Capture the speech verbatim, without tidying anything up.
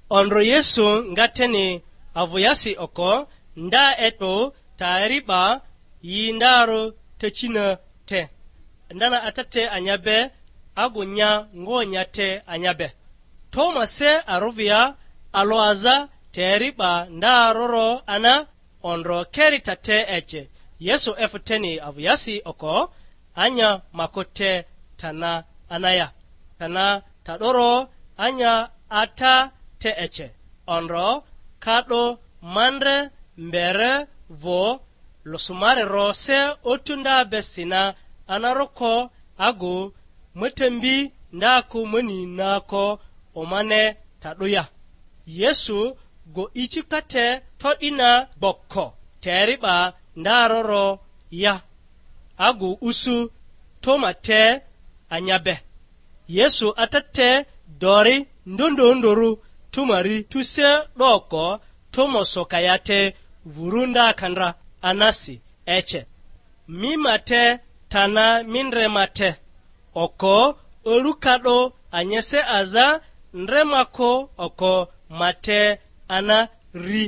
Ondro Yesu nga teni avᴜyasi oko, nda eto tayari 'ba yi ndarᴜ tacina te, ndana ata te anya be, agu nya ngonya te anya be. Toma se arᴜvia alᴜ aza tayari 'ba ndaroro ana, ondro keri ta te ece. Yesu efᴜ teni avᴜyasi oko, anya mako te tana anaya, tana ta'doro anya ata te ece. Ondro ka 'do mandre mbere vᴜ, losumari ro se otu nda be sina anaroko agu, matambi ndako mani nako omane ta'dᴜ ya. Yesu go icikate to'dina gboko, teri 'ba ndaroro ya, agu usu Toma te anya be. Yesu ata te dori ndondondorᴜ Tomari tuse 'doko, Toma soka ya te vuru nda ka ndra anasi ece. Mi ma te, tana mi ndre ma te. Oko, o'du ka 'do anyese aza, ndre ma ko oko ma te ana ri.